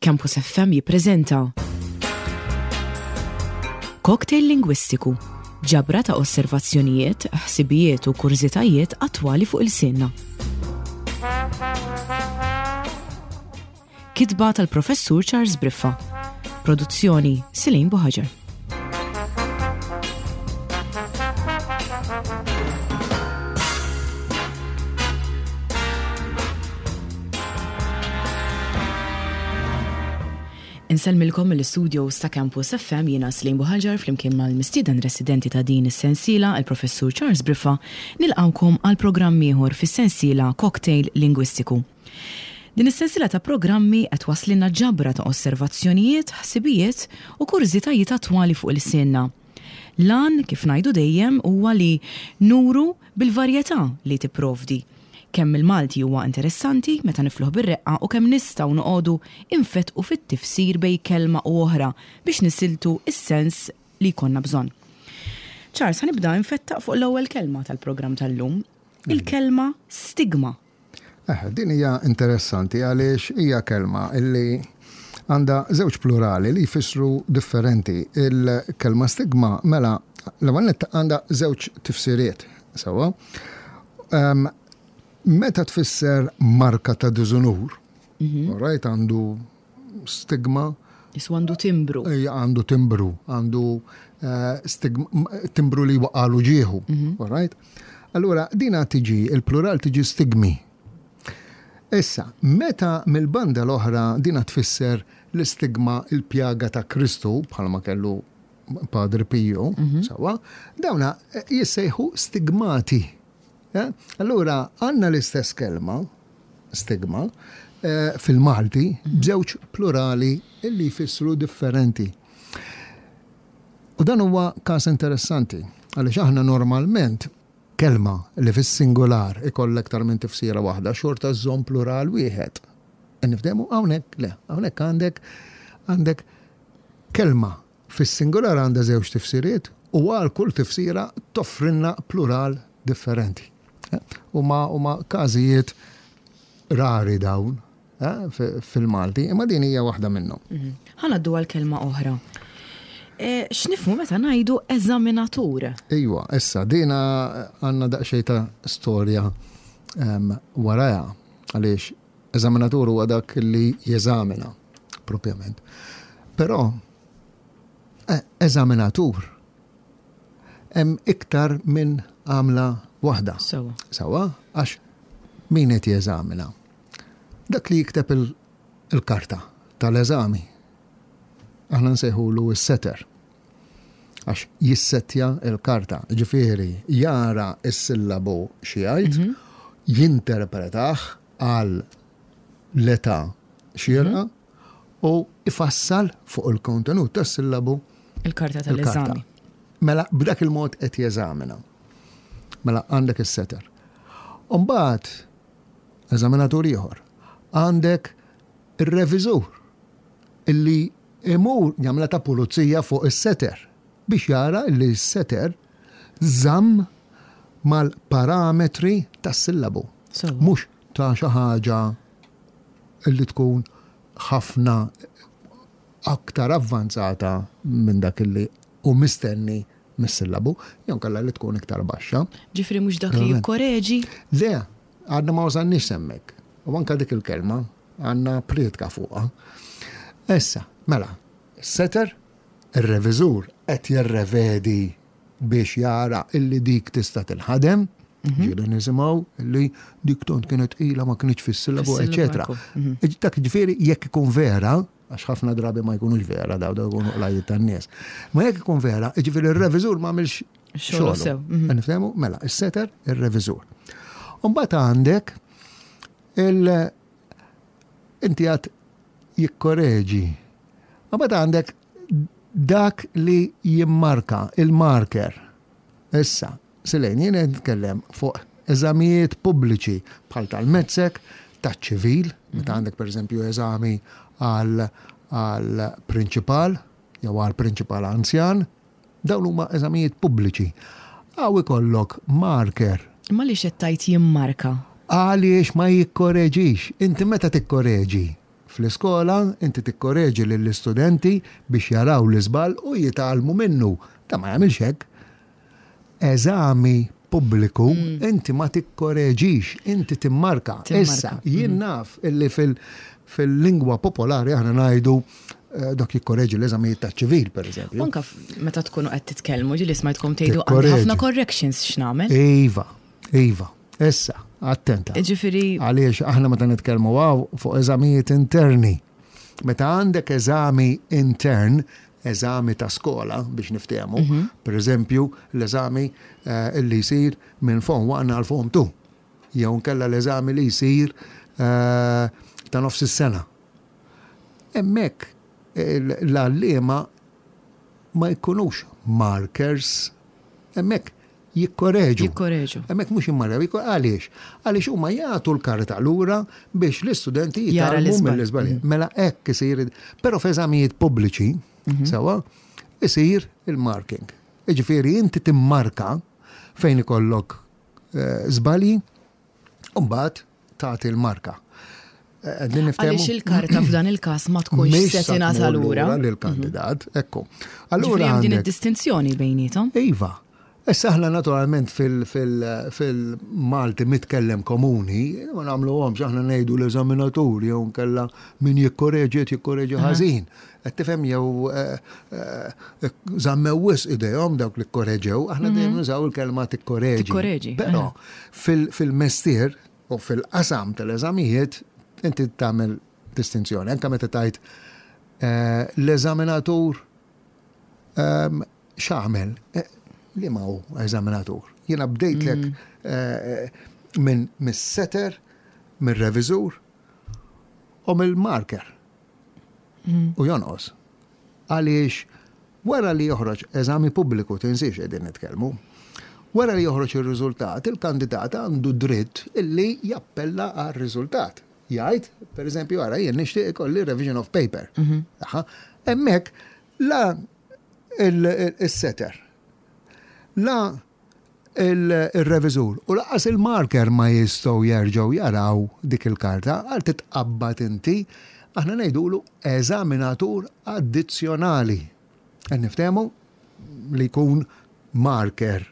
Campus FM jippreżenta Cocktail Lingwistiku, ġabra ta' osservazzjonijiet, ħsibijiet u kurżitajiet attwali fuq ilsienna. Kitba tal-Professur Charles Briffa. Produzzjoni Silin Buħaġar. Insellmilkom mill-istudios ta' Campus FM jiena Slim Buħaġar flimkien mal-mistieden residenti ta' din is-sensiela il-Professur Charles Briffa nilqgħukom għal programm ieħor fis-sensiela Cocktail Lingwistiku. Din is-sensiela ta' programmi qed twasslilna ġabra ta' osservazzjonijiet, ħsibijiet u kurżitajiet attwali fuq ilsienna. L-għan, kif ngħidu dejjem, huwa li nuru bil-varjetà li tipprovdi, kemm il-Malti huwa interessanti meta nifluh bir-reqqa u kemm nistgħu noqogħdu infettqu fit-tifsir bejn kelma u oħra biex nisiltu s-sens li jkollna bżonn. Charles, ħa nibda infettaq fuq l-ewwel kelma tal-programm tal-lum, il-kelma stigma. Eh, din hija interessanti għaliex hija kelma illi għandha żewġ plurali li jfissru differenti. Il-kelma stigma mela l-ewwel nett għandha żewġ tifsiriet sewwa. Ehm, meta tfisser marka ta' diżunur, mhm. right, għandu stigma. Isu għandu timbru. Għandu timbru, għandu eh, timbru li waqalu ġieħu. Mhm. All right? Allura, dina tiġi, il-plural tiġi stigmi. Issa, meta mill-banda l-oħra dina tfisser l-istigma il-pjaga ta' Kristu, bħalma kellu Padre Pio, mhm. sawa, dawna eh, jissejħu stigmati. Eh? Allura, għanna l-istess kelma, stigma, eh, fil-Malti, b'żewġ plurali illi jfissru differenti. U dan huwa każ interessanti, għaliex aħna normalment kelma li fis-singular ikollha iktar minn tifsira waħda xorta żżomm plural wieħed. Nifdemu hawnhekk le, hawnhekk għandek għandek kelma Fis-singular għandha żewġ tifsiriet u għal kull tifsira toffrilna plural differenti. Huma huma każijiet rari dawn eh, fil-Malti, imma din hija waħda minnhom. Mhm. Ħa ngħaddu għal kelma oħra. E, x'nifhmu meta ngħidu eżaminatur? Iwa, issa dina għandna daqsxejn ta' storja ehm, warajha għaliex Eżaminatur huwa dak li jeżamina, propjament. Però, e, eżaminatur hemm iktar minn għamla waħda. Sawa. Sawa, għax min qed jeżamina? Dak li jikteb il-karta tal-eżami. Aħna nsejħulu s-setter. Għax jissettja l-karta, ġifieri jara s-sillabu xi jgħid, mhm. jinterpretah għal l-età xierqa mhm. u ifassal fuq il-kontenut tas-sillabu il-karta tal-eżami. Mela b'dak il-mod qed jeżamina. Mela għandek is-setter. Umbagħad eżaminatur ieħor għandek ir-reviżur illi imur jagħmilha ta' pulizija fuq is-setter biex jara li s-setter żamm mal-parametri tas-sillabu. Mhux ta' xi ħaġa li tkun ħafna aktar avvanzata minn dak li hu mistenni mis-sillabu, jew inkella li tkun iktar baxxa. Ġifieri mhux dak li jikkoreġi? Le, għadna ma wasalniex s'hemmhekk. U anke dik il-kelma Għandna prietka fuqha. Issa, mela, setter, ir-reviżur qed jirrevedi biex jara illi dik tista' tinħadem, mhm. ġieli nisimgħu illi dik tont kienet tqila ma kienx fis-sillabu, eċetera. Mhm. Dak ġifieri jekk ikun vera, għax ħafna drabi ma jkunux vera daw daw jkunu qlajiet tan-nies. Ma jekk ikun vera, ġifieri r-reviżur ma għamilx xogħol. sew. Mhm. Nifhemu? Mela, is-setter, ir-reviżur. Umbagħad għandek Il inti għad jikkoreġi. Ma bad għandek dak li jimmarka, il-marker. Issa, Silejn, jien qed nitkellem fuq eżamijiet pubbliċi bħal tal-mezzek, taċ-ċivil, meta għandek pereżempju eżami għal għal prinċipal jew għal prinċipal anzjan, Dawn huma eżamijiet pubbliċi. Hawn ikollok marker. Imma għaliex qed tgħid jimmarka? Għaliex ma jikkoreġix. Inti meta tikkoreġi? Fl-iskola inti tikkoreġi lill-istudenti biex jaraw l-iżball u jitgħallmu minnu. Dan ma jagħmilx hekk. Eżami pubbliku inti ma tikkoreġix, inti timmarka. Issa, jien naf illi fil-lingwa popolari aħna ngħidu eh, dak jikkoreġi l-eżamijiet taċ-ċivil, per eżempju. Anka meta tkunu qed titkellmu, ġieli smajtkom tgħidu għandi ħafna corrections x'nagħmel. Iva, iva. Issa, attenta. Ġifieri. Għaliex aħna meta nitkellmu għaw fuq eżamijiet interni. Meta għandek eżami intern, eżami ta' skola biex niftehmu, mhm. per eżempju, l-eżami eh, li jsir minn form 1 għal form 2, jew nkella l-eżami li jsir eh, ta' nofs is-sena. Hemmhekk l-għalliema ma jkunux markers, hemmhekk jikkoreġu. Jikkoreġu. Hemmhekk mhux jimmarjaw, għaliex? Għaliex huma jagħtu l-karta lura biex l-istudenti jitgħallmu mill-iżbalji. Mm. Mela hekk isir, però f'eżamijiet pubbliċi, mhm. sewa, isir il-marking. Jiġifieri inti timmarka fejn ikollok eh, żbalji, u mbagħad tagħti l-marka. Eh, Għaliex il-karta f'dan il-każ ma tkunx se tingħata lura. Lill-kandidat, mhm. ekku. Allura hemm din id-distinzjoni bejnietom. Iva. Issa aħna naturalment fil-Malti mitkellem komuni, ma nagħmluhomx aħna ngħidu l-eżaminatur jew nkella min jikkoreġi qed jikkoreġi ħażin. Qed tifhem jew eh, eh, żammew wisq idejhom dawk li kkoreġew, aħna mhm. dejjem nużaw il-kelma tikkoreġi. Tikkoreġi. Però fil-mestier U fil-qasam tal-eżamijiet inti tagħmel distinzjoni. Anke meta tgħid eh, l-eżaminatur ehm, x'għamel? Eh, li ma hu eżaminatur? Jiena bdejtlek mm. eh, minn mis-setter, mir-reviżur u mill-marker. Mm. U jonqos. Għaliex wara li joħroġ eżami pubbliku, tinsiex qegħdin nitkellmu, wara li joħroġ ir-riżultat, il-kandidat għandu dritt illi jappella għar-riżultat. Jgħid, per eżempju, ara jien nixtieq ikolli revision of paper. Mhm. Hemmhekk la il-setter, la il-reviżur u lanqas il-marker ma jistgħu jerġgħu jaraw dik il-karta għal titqabbad inti, aħna ngħidulu eżaminatur addizzjonali. Qed niftehmu li jkun marker.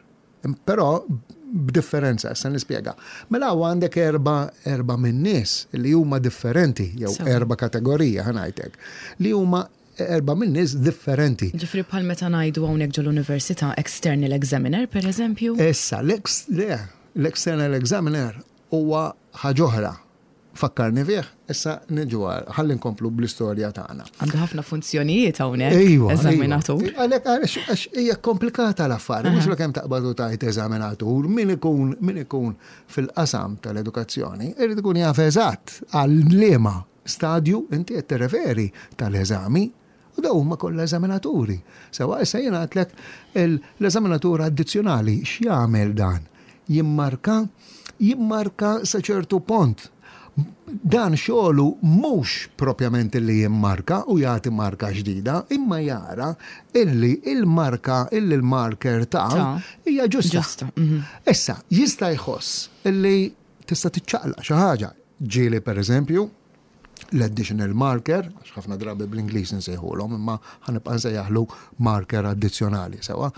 Però b'differenza, issa nispjega. Mela hawn għandek erba' erba' min-nies li huma differenti jew erba' kategorija ħa ngħidlek li huma Erbgħa minn nies differenti. Ġifieri bħal meta ngħidu hawnhekk ġol-università external examiner, per eżempju? Issa, le, l-external examiner huwa ħaġa oħra. Fakkarni fih, issa niġu għal, ħalli nkomplu bl-istorja tagħna. Għandu ħafna funzjonijiet hawnhekk. Iva, eżaminatur. Iva. Għalhekk għax hija komplikata l-affari, mhux kemm taqbad u tgħid eżaminatur, min ikun min ikun fil-qasam tal-edukazzjoni, irid ikun jaf eżatt għal liema Stadju inti qed tirreferi tal-eżami u dawn huma kollha eżaminaturi. Sewwa issa jiena għedtlek l-eżaminatur addizzjonali x'jagħmel dan? Jimmarka, jimmarka sa ċertu pont. Dan xogħlu mhux propjament illi jimmarka u jagħti marka ġdida, imma jara illi il-marka illi l-marker ta hija ġusta. Mhm. Issa, jista' jħoss illi tista' tiċċaqlaq xi ħaġa. Ġieli pereżempju, l-additional marker, għax ħafna drabi bl-Ingliż nsejħulhom, imma ħanibqa' nsejjaħlu marker addizzjonali sewa.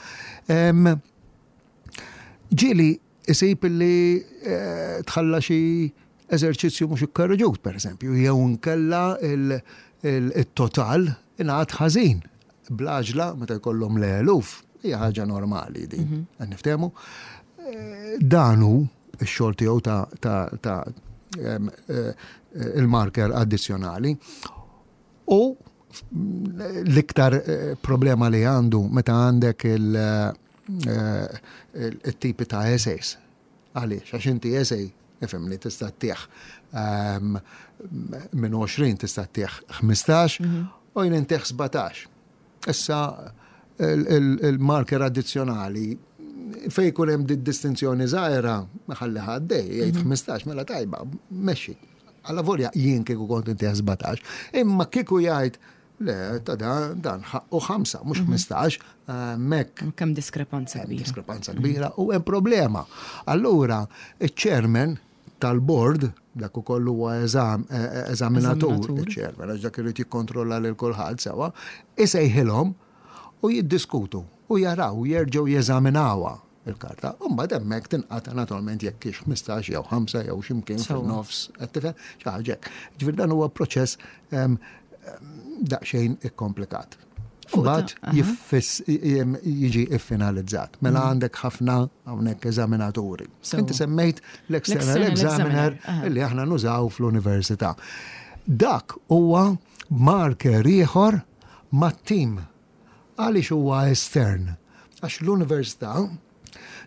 Ġieli isib li eh, tħalla xi eżerċizzju mhux ikkorreġut, pereżempju, jew nkella il-total ingħad ħażin. Bl-għaġla meta jkollhom l-eluf, hija ħaġa normali din. Mhm. Qed niftehmu. Eh, dan hu x-xogħol tiegħu ta' eh, il-marker addizzjonali. U l-iktar eh, problema li għandu meta għandek il-tipi ta' essays. Għaliex? Għax inti essay, ifhimni, tista' ttih ehm, minn 20 tista' ttih 15 mhm. u jien intih 17. Issa il-marker addizzjonali fej jkun hemm distinzjoni żgħira ħalli ħaddej, jgħid 15 mhm. mela tajba, mexxi. Alla volja jien kieku kont intih 17, imma kieku jgħid Le, ta' dan, dan ħaqqu 5, mhux 15, mhm. mek. Kemm diskrepanza kbira. Diskrepanza kbira u hemm problema. Allura, iċ-chairman. tal-bord, dak ukoll huwa eżaminatur, iċ-chairman, għax dak irid jikkontrolla lil kulħadd sewwa, isejħilhom u jiddiskutu u jaraw, jerġgħu jeżaminawha il-karta. U mbagħad hemmhekk tinqata' naturalment jekk hix 15 jew 5 jew x'imkien fin-nofs, qed tifhem? Xi ħaġa hekk. Ġifieri dan huwa proċess daqsxejn ikkomplikat. Mbagħad jiġi ffinalizzat. Mela mm. għandek ħafna hawnhekk eżaminaturi. Inti semmejt l-external examiner li aħna nużaw fl-università. Dak huwa marker ieħor mat-tim. Għaliex huwa estern? Għax l-università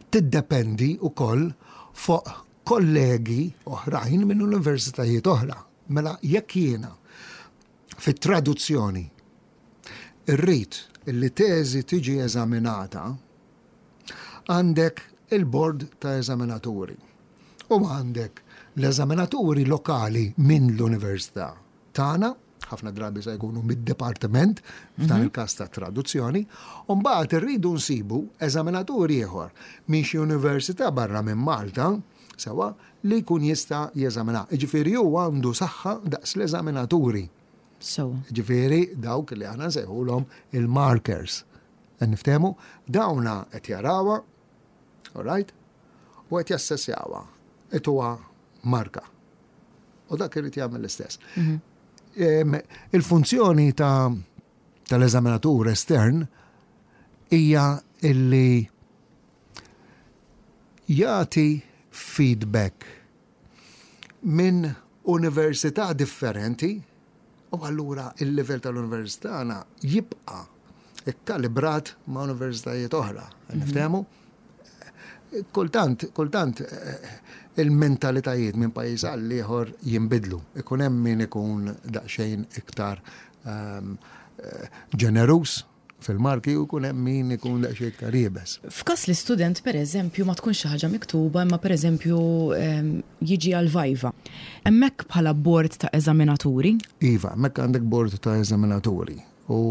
tiddependi wkoll fuq kollegi oħrajn minn universitajiet oħra. Mela jekk jiena fit-traduzzjoni irrid li teżi tiġi eżaminata, għandek il-bord ta' eżaminaturi u għandek l-eżaminaturi lokali minn l-università tagħna, ħafna drabi se jkunu mid-dipartiment, f'dan mhm. il-każ ta' traduzzjoni, u mbagħad irridu nsibu eżaminatur ieħor minn xi università barra minn Malta, sewa, li jkun jista' jeżamina. Jiġifieri hu għandu saħħa daqs l-eżaminaturi. Sewa. Jiġifieri dawk li aħna nsejħulhom il-markers. Qed niftehmu? Dawna qed jarawha, all right? U qed jassessjawha. Ituha marka. U dak irid jagħmel l-istess. Mhm. Il-funzjoni ta' tal-eżaminatur estern hija illi jagħti feedback minn università differenti u allura il-livell tal-università tagħna jibqa' ikkalibrat ma' universitajiet oħra. Mhm. Niftehmu? Kultant, kultant eh, il-mentalitajiet minn pajjiż għal ieħor jinbidlu. Ikun hemm min ikun daqsxejn iktar ehm, eh, ġeneruż fil-marki u jkun hemm min ikun daqsxejn iktar iebes. F'każ li student pereżempju ma tkunx xi ħaġa miktuba imma pereżempju ehm, jiġi għal viva. Hemmhekk bħala bord ta' eżaminaturi? Iva, hemmhekk għandek bord ta' eżaminaturi u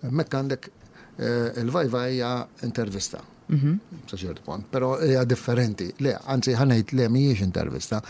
hemmhekk għandek eh, il-viva hija intervista. Mhm. Sa ċertu punt, però hija differenti. Le, anzi ħanejt le mhijiex intervista,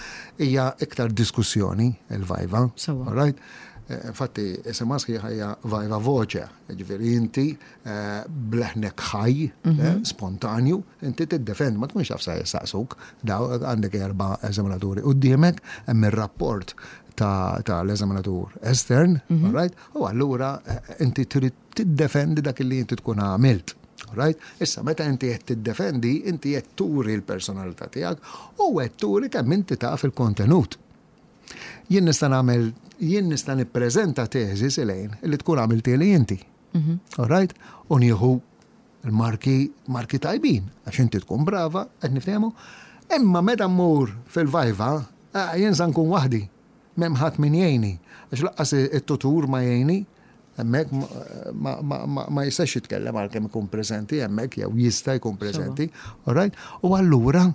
hija iktar diskussjoni il-viva. All right? Eh, infatti, isimha sħiħa hija viva voce, ġifieri inti eh, bleħnek ħaj, eh, mhm. spontanju, inti tiddefend, ma tkunx taf sa jistaqsuk, daw għandek erba' eżaminaturi quddiemek, hemm ir-rapport ta' l-eżaminatur estern, mhm. right? U allura inti trid tiddefendi dak li inti tkun għamilt. Right? Issa, meta inti qed tiddefendi, inti qed turi l-personalità tiegħek u qed turi kemm inti taf il-kontenut. Jien nista' nagħmel, jien nista' nippreżenta teżi Silejn li tkun għamiltieli inti. Mhm. All right? U nieħu l-marki marki tajbin, għax inti tkun brava, qed niftehmu. Imma meta mmur fil-vajva, eh, jien sa nkun waħdi. M'hemm ħadd min jgħinni. Għax laqqas it-tutur ma jgħinni, hemmhekk ma jistax jitkellem għalkemm ikun preżenti hemmhekk jew jista' jkun preżenti. All right? U allura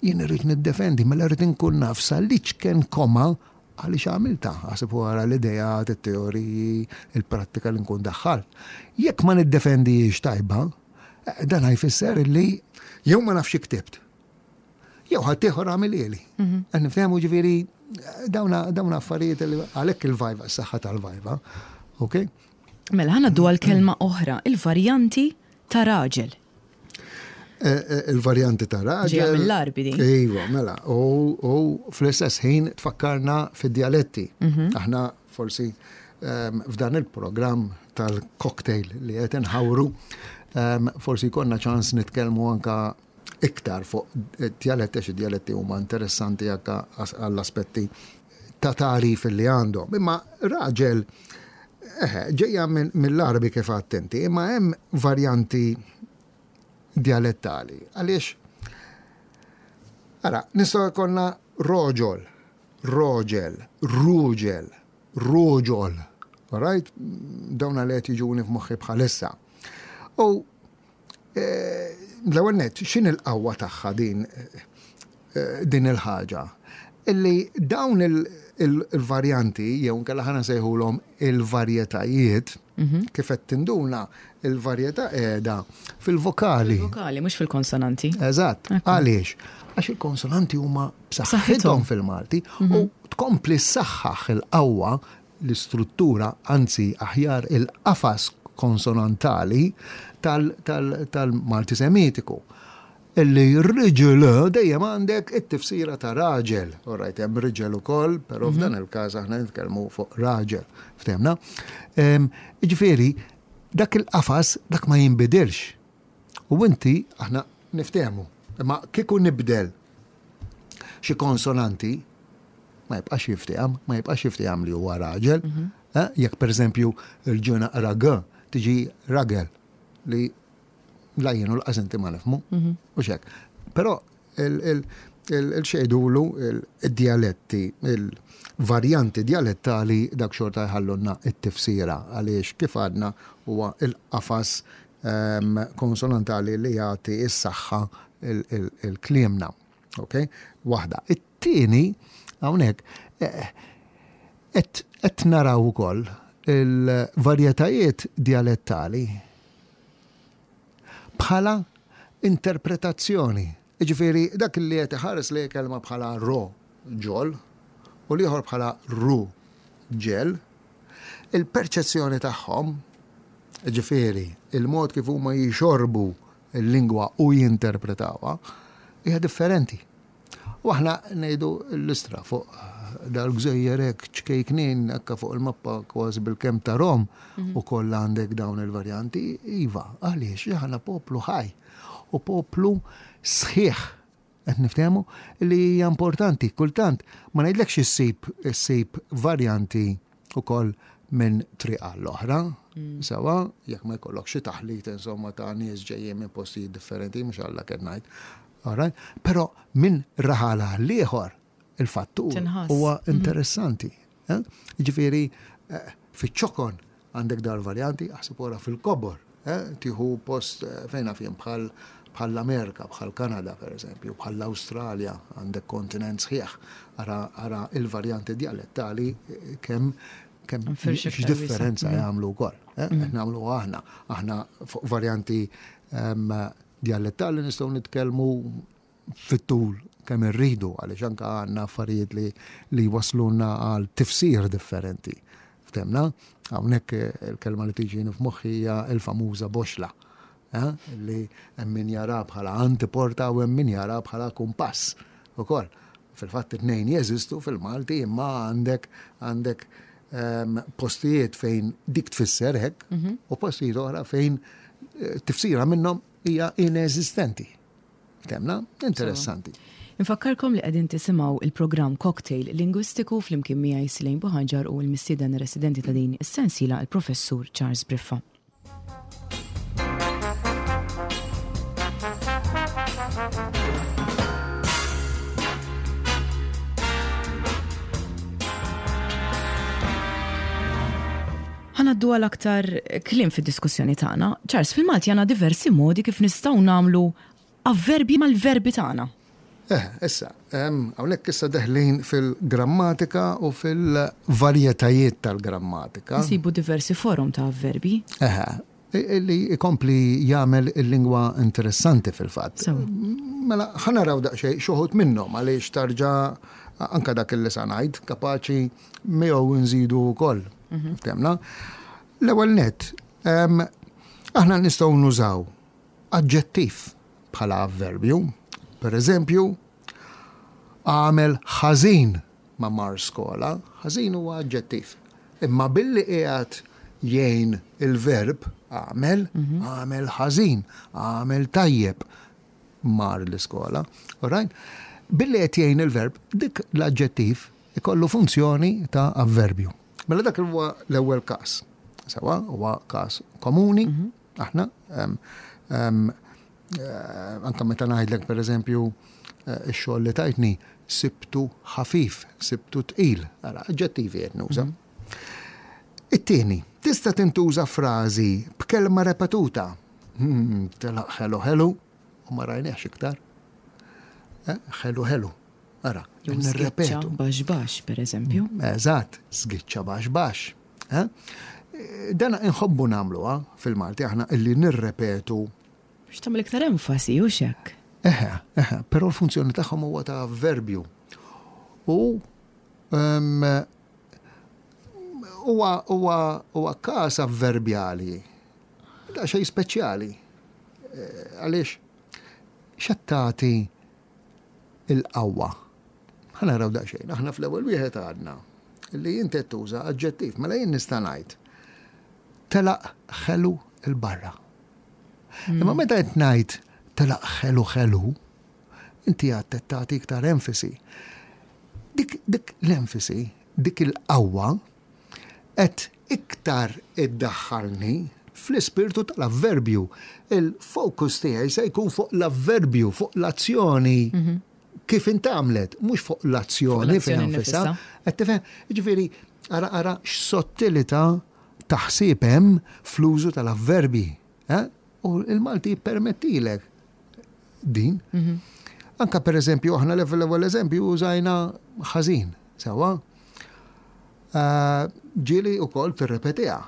Jien irrid niddefendi, mela rrid inkun naf sa l-iċken koma għaliex għamiltha, aħseb u ara l-ideat, it-teoriji, il-prattika li nkun daħħalt. Jekk ma niddefendihiex tajba, eh, dan jfisser li jew ma nafx ktibt, jew ħaddieħor għamilhieli. Mhm. Qed niftehmu ġifieri dawna affarijiet li għalhekk il-vajva, s-saħħa tal-vajva. Ok? Mela ħa ngħaddu għal kelma oħra, il-varjanti ta' raġel. Eh, eh, il-varjanti ta' raġel. Ġejja mill-Għarbi din. Iva, mela, u fl-istess ħin tfakkarna fid-djaletti. Mhm. Aħna forsi ehm, f'dan il-programm tal-cocktail li qed inħawru, ehm, forsi jkollna ċans nitkellmu anka iktar fuq djaletti għax id-djaletti huma interessanti anka għall-aspetti ta' tagħrif li għandhom. Imma raġel eh, ġejja mill-Għarbi kif għedt inti, imma hemm varjanti djalettali. Għaliex, ara, nistgħu jkollna roġol, roġel, ruġel, ruġol. Right? Dawn li qed jiġuni f'moħħi bħalissa. U eh, l-ewwel nett, x'in il-qawwa tagħha din eh, din il-ħaġa? Illi dawn il-varjanti, jew nkella ħana nsejħulhom il-varjetajiet, Kif qed tinduna il-varjetà qiegħda fil-vokali. Fil-vokali, mhux fil-konsonanti. Eżatt. Għaliex? Għax il-konsonanti huma b'saħħithom fil-Malti u tkompli ssaħħaħ il-qawwa l-istruttura, anzi aħjar il-qafas konsonantali tal-Malti Semitiku. Illi riġel dejjem għandek it-tifsira ta' raġel. All right, hemm riġel ukoll, però f'dan il-każ aħna nitkellmu fuq raġel. Ftehmna? Jiġifieri, dak il-qafas dak ma jinbidilx. U inti aħna niftehmu. Imma kieku nibdel xi konsonanti ma jibqax jifteham, ma jibqax jifteham li huwa raġel. Eh, jekk pereżempju l-ġ naqra g tiġi ragel li la jien u laqas inti ma nifhmu. U xek. Però il-xejdulu il-dialetti, il-varjanti dialettali dak xorta jħallunna it-tifsira għaliex kif għadna huwa il-qafas konsonantali li jagħti s-saħħa il-kliemna. Ok? Waħda. It-tieni hawnhekk eh, qed naraw ukoll il-varjetajiet dialettali bħala interpretazzjoni. Jiġifieri dak li qed iħares lejn kelma bħala ro ġol u l-ieħor bħala ru ġel, il-perċezzjoni tagħhom, jiġifieri il-mod kif huma jixorbu l-lingwa u jinterpretawha, hija differenti. U aħna ngħidu l-istra fuq dal-gżejjer hekk ċkejknin hekk fuq il-mappa kważi bil-kemm tarhom mhm. u kollha għandek dawn il-varjanti, iva, għaliex aħna poplu ħaj u poplu sħiħ qed niftehmu li hija importanti kultant ma ngħidlekx issib issib varjanti ukoll minn triq għall-oħra, mm. sewa, jekk ma jkollok xi taħlit insomma ta' nies ġejjin minn postijiet differenti, mhux Alla kien ngħid. Alright? Però minn raħal għal ieħor il-fattur huwa mhm. interessanti. Eh? Ġifieri eh, fiċ-ċokon għandek dar varjanti, aħseb wara fil-kobor, eh, tieħu post fejn naf jien bħal bħall-Amerika, bħal Kanada per eżempju, bħal l-Awstralja, għandek kontinent sħiħ, ara, ara il-varjanti dialettali kemm kemm x'differenza mhm. jagħmlu wkoll. Mhm. Qed nagħmlu aħna, aħna fuq varjanti ehm, Dialettali nistgħu nitkellmu fit-tul kemm irridu għaliex anke għandna affarijiet li li jwasslulna għal tifsir differenti. Ftemna? Hawnhekk il-kelma li tiġini f'moħħi hija l-famuża boxla. Eh? Li hemm min jara bħala antiporta u hemm min jara bħala kumpass ukoll. Fil-fatt it-tnejn jeżistu fil-Malti imma għandek għandek ehm, postijiet fejn dik tfisser hekk mhm. u postijiet oħra fejn eh, tifsira minnhom hija ineżistenti. Temna? Interessanti. Infakkarkom li qegħdin tisimgħu il-programm Cocktail Lingwistiku flimkien miegħi Silejn Buħanġar u l-mistieden residenti ta' din is-sensiela il-Professur Charles Briffa. Ħanaddu għal aktar kliem fid-diskussjoni tagħna. Charles, fil-Malti għandna diversi modi kif nistgħu nagħmlu avverbji mal-verbi tagħna. Eh, issa, hawnhekk issa deħlin fil-grammatika u fil-varjetajiet tal-grammatika. Nsibu diversi forom ta' avverbi. Eħe, li jkompli jagħmel il-lingwa interessanti fil-fatt. Mela, ħa naraw daqsxejn xi wħud minnhom għaliex tarġa' anke dak li sa ngħid kapaċi miegħu nżidu wkoll. Mhm. Temna. L-ewwel nett, aħna nistgħu nużaw aġġettiv bħala avverbju. Per eżempju, għamel ħażin ma mar skola, ħażin huwa aġġettiv. Imma billi qiegħed jgħin il-verb għamel, mhm. għamel ħażin, għamel tajjeb mar l-iskola. Alright? Billi qed jgħin il-verb, dik l-aġġettiv ikollu funzjoni ta' avverbju. Mela dak huwa l-ewwel każ. Sewa, huwa każ komuni, mhm. Aħna, anka meta ngħidlek pereżempju eh, ix-xogħol li tajtni sibtu ħafif, sibtu tqil, ara aġġettivi qed nuża. Mhm. It-tieni, tista' tintuża frażi b'kelma repetuta. Hmm, telaq ħelu ħelu u ma rajniex iktar. Eh, ħelu ħelu. Ara, nirrepetu. Baxx baxx, per eżempju. Eżatt, sgiċċa baxx baxx. Eh? Dan inħobbu nagħmluha fil-Malti aħna illi nirrepetu. Biex tagħmel iktar enfasi, hux hekk? Eħe, eħe, però l-funzjoni tagħhom huwa ta' avverbju. U huwa huwa huwa każ avverbjali. Da xejn speċjali. Eh, għaliex x'qed tagħti il-qawwa? Ħa naraw daqsxejn. Aħna fl-ewwel wieħed għadna li inti qed tuża aġġettiv, mela jien nista' ngħid telaq ħelu 'l barra. Imma meta qed ngħid telaq ħelu ħelu, inti għad qed tagħti iktar enfasi. Dik, dik l-enfasi, dik il-qawwa qed iktar iddaħħalni fl-ispirtu tal-avverbju. Il-fokus tiegħi se jkun fuq l-avverbju, fuq l-azzjoni mhm. kif intgħamlet, mhux fuq l-azzjoni fiha nfisha. Qed tifhem? Jiġifieri ara ara x'sottilità ta' ħsieb hemm fl-użu tal-avverbi. Eh? U il-Malti jippermettilek din. Mhm. Anka per eżempju, aħna l-ewwel eżempju użajna ħażin, sewwa. Eh, ġieli wkoll tirrepetiha.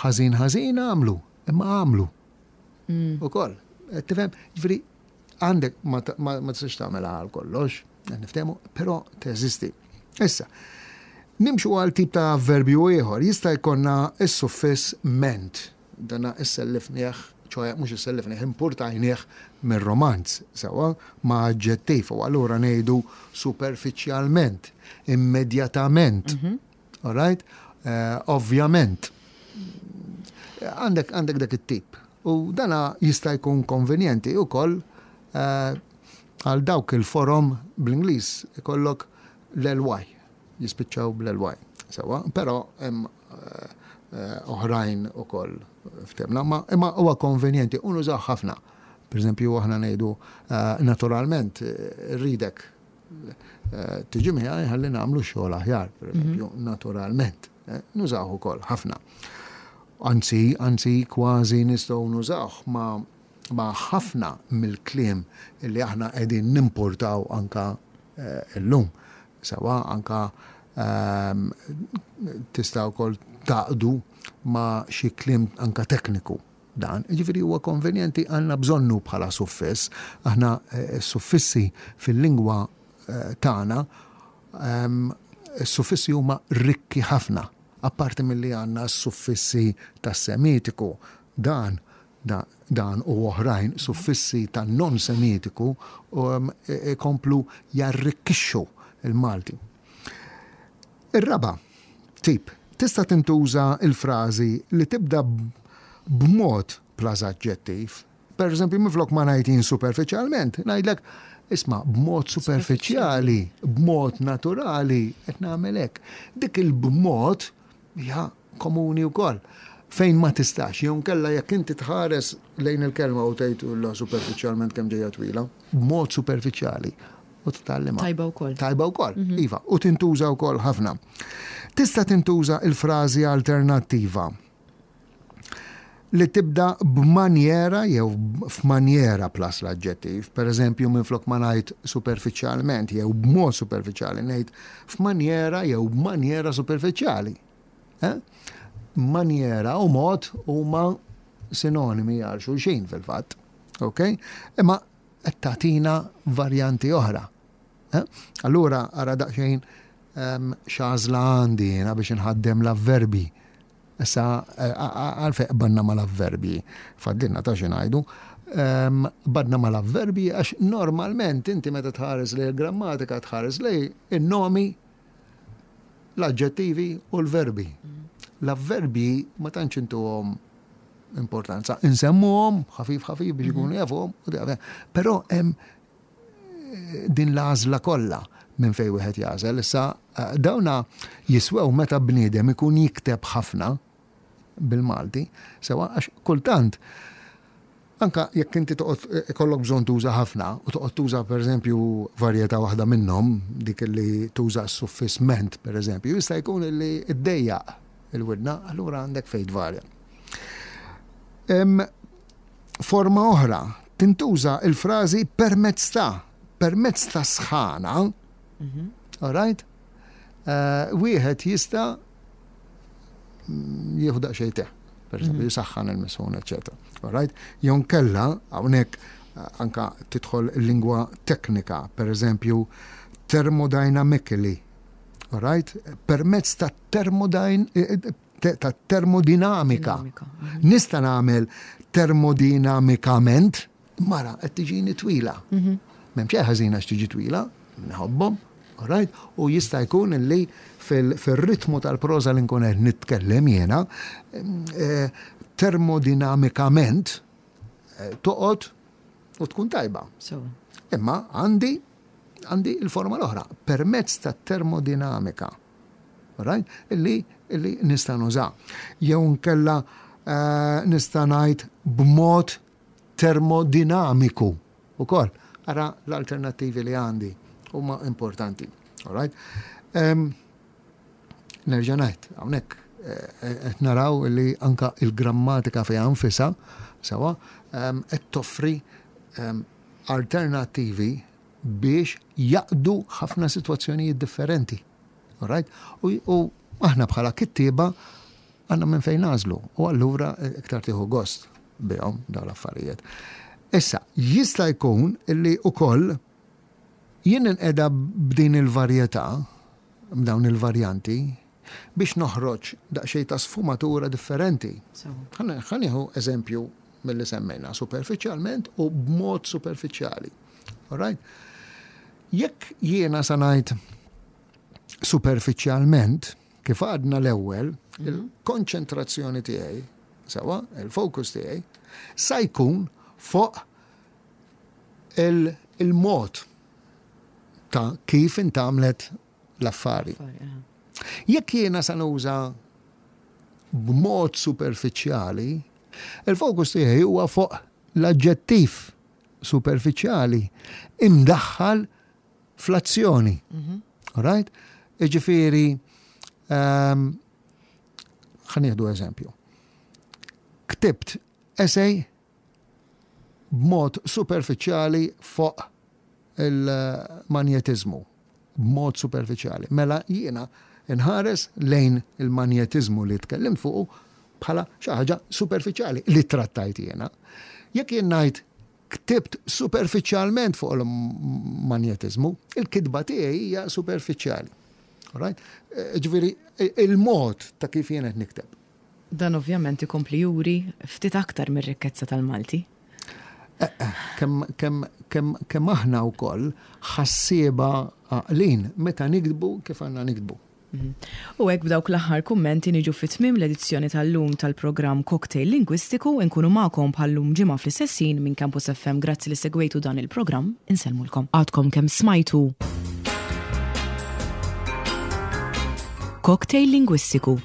Ħażin ħażin għamlu, imma għamlu. Mm. Ukoll, tifhem, ġifieri għandek ma tistax tagħmel għal kollox, niftehmu, però teżisti. Issa, nimxu għal tip ta' verbju ieħor, jista' jkollna s-suffiss ment. Dana issellifnieh, ċoe mhux issellifnieh, impurtajnieh mir-Romanz, sewwa, ma' aġġettiv u allura ngħidu superfiċjalment, immedjatament. Mhm. All right? Eh, ovvjament. Għandek għandek dak it-tip. U dana jista' jkun konvenjenti wkoll eh, għal dawk il-forom bl-Ingliż ikollok l-LY jispiċċaw bl-LY. Sewwa, però hemm eh, oħrajn ukoll ftemna, ma imma huwa konvenjenti u nużaw ħafna. Per eżempju, aħna ngħidu eh, naturalment eh, rridek tiġi miegħi ħalli nagħmlu xogħol aħjar, per eżempju, mhm. naturalment. Nużaw ukoll ħafna. Anzi, anzi kważi nistgħu nużawh ma' ma' ħafna mill-kliem li aħna qegħdin nimportaw anka illum. Sewwa anka ehm, tista' wkoll taqdu ma' xi kliem anka tekniku dan. Jiġifieri huwa konvenjenti għandna bżonnu bħala suffiss. Aħna eh, s-suffissi fil-lingwa eh, tagħna ehm, s-suffissi huma rikki ħafna. Apparti milli għandna s-suffissi tas-Semitiku, dan Dan u oħrajn suffissi ta' non-Semitiku ikomplu jarrikkixxu l-Malti. Ir-raba' tip, tista' tintuża l-frażi li tibda b'mod plus aġġettiv. Pereżempju, minflok ma ngħid jien superfiċjalment, ngħidlek, isma' b'mod superfiċjali, b'mod naturali qed nagħmel hekk. Dik il-b'mod hija komuni wkoll, fejn ma tistax, jew inkella jekk inti tħares lejn il-kelma u tgħid la superfiċjalment kemm ġejja twila, b'mod superfiċjali u titgħallimha. Tajba wkoll. Tajba wkoll, mhm. iva, u tintuża wkoll ħafna. Tista' tintuża il-frażi alternattiva li tibda b'manjera jew f'manjera plus l-aġġettiv. Per eżempju, minflok ma ngħid superfiċjalment jew b'mod superfiċjali ngħid f'manjera jew b'manjera superfiċjali. Eh? Manjera u mod huma sinonimi għal xulxin fil-fatt. Ok? Imma qed tagħtina varjanti oħra. Eh? Allura ara daqsxejn ehm, x'għażla għandi jiena biex inħaddem l-avverbi. Issa eh, għalfejn qbadna mal-avverbi, fadlilna ta' xi ngħidu. Ehm, qbadna mal-avverbi għax normalment inti meta tħares lejn il-grammatika tħares lejn in-nomi l-aġġettivi u l-verbi. L-avverbi ma tantx intuhom importanza. Insemmuhom ħafif ħafif biex ikunu mhm. jafuhom, però hemm eh, din l-għażla kollha minn fejn wieħed jagħżel. Issa eh, dawna jiswew meta bniedem ikun jikteb ħafna bil-Malti, sewa għax kultant Anke jekk inti toqgħod ikollok bżonn tuża ħafna u toqgħod tuża pereżempju varjetà waħda minnhom, dik li tuża s-suffiss ment pereżempju, jista' jkun li ddejjaq il-widna, allura għandek fejn tvarja. Forma oħra, tintuża il-frażi permezz ta' permezz ta' sħana, mhm. all right? Eh, wieħed jista' jieħu daqsxejn te, per eżempju, mhm. jisaħħan il-misħun, eċetera. Alright? Jew kella hawnhekk eh, anka tidħol lingwa teknika, per eżempju, thermodynamically. Alright? Permezz ta' termodyn eh, eh, ta' termodinamika. Mhm. Nista' nagħmel termodinamikament, mara qed tiġini twila. Mhm. M'hemm xejn ħażin għax tiġi twila, nħobbhom, alright? U jista' jkun li fil-ritmu tal-proża li nkun qed nitkellem jiena, eh, termodinamikament eh, toqgħod u tkun tajba. Imma għandi għandi il-forma l-oħra, permezz ta' termodinamika. Right? Illi, illi nista' nuża. Jew nkella eh, nista' ngħid b'mod termodinamiku ukoll. Ara l-alternattivi li għandi huma importanti. All right? Um, nerġa' ngħid, hawnhekk eh, qed naraw li anka il-grammatika fiha nfisha sewa qed toffri alternattivi biex jaqdu ħafna sitwazzjonijiet differenti. All right? U, u aħna bħala kittieba għandna minn fejn nagħżlu u allura iktar tieħu gost bihom dawn l-affarijiet. Issa, jista' jkun illi ukoll jien inqeda b'din il-varjetà, b'dawn il-varjanti, biex noħroġ daqsxejn ta' sfumatura differenti. Ħa nieħu eżempju milli semmejna, superfiċjalment u b'mod superfiċjali. All right? Jekk jiena sa ngħid superfiċjalment, kif għadna l-ewwel, mhm. il-konċentrazzjoni tiegħi, sewa, il-fokus tiegħi, sa jkun fuq il-mod ta' kif intamlet l-affari. Jekk jiena sa nuża b'mod superfiċjali, il-fokus tiegħi huwa fuq l-aġġettiv superfiċjali imdaħħal fl-azzjoni. Mhm. Right? Iġifieri, ehm, ħa nieħdu eżempju. Ktibt essay b'mod superfiċjali fuq il-manjetiżmu b'mod superfiċjali. Mela jiena nħares lejn il-manjetiżmu li tkellimt fuqu bħala xi ħaġa superfiċjali li trattajt jiena. Jekk jien ngħid ktibt superfiċjalment fuq il-manjetiżmu, il-kitba tiegħi hija superfiċjali. Right? Eh, ġifieri il-mod ta' kif jien qed nikteb. Dan ovvjament ikompli juri ftit aktar mir-rikkezza tal-Malti. Eh, eh, kemm aħna wkoll ħassieba għaqlin meta niktbu kif għandna niktbu. Mhm. U hekk b'dawk l-aħħar kummenti niġu fi tmiem l-edizzjoni tal-lum tal-programm Cocktail Lingwistiku inkunu magħkom bħal-lum ġimgħa fl-istess ħin minn Campus FM. Grazzi li segwejtu dan il-programm, insellmulkom. Għadkom kemm smajtu Cocktail Lingwistiku,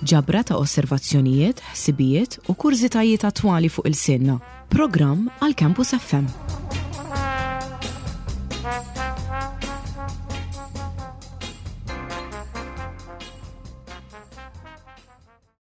ġabra ta' osservazzjonijiet, ħsibijiet u kurżitajiet attwali fuq ilsienna. Programm għal Campus FM.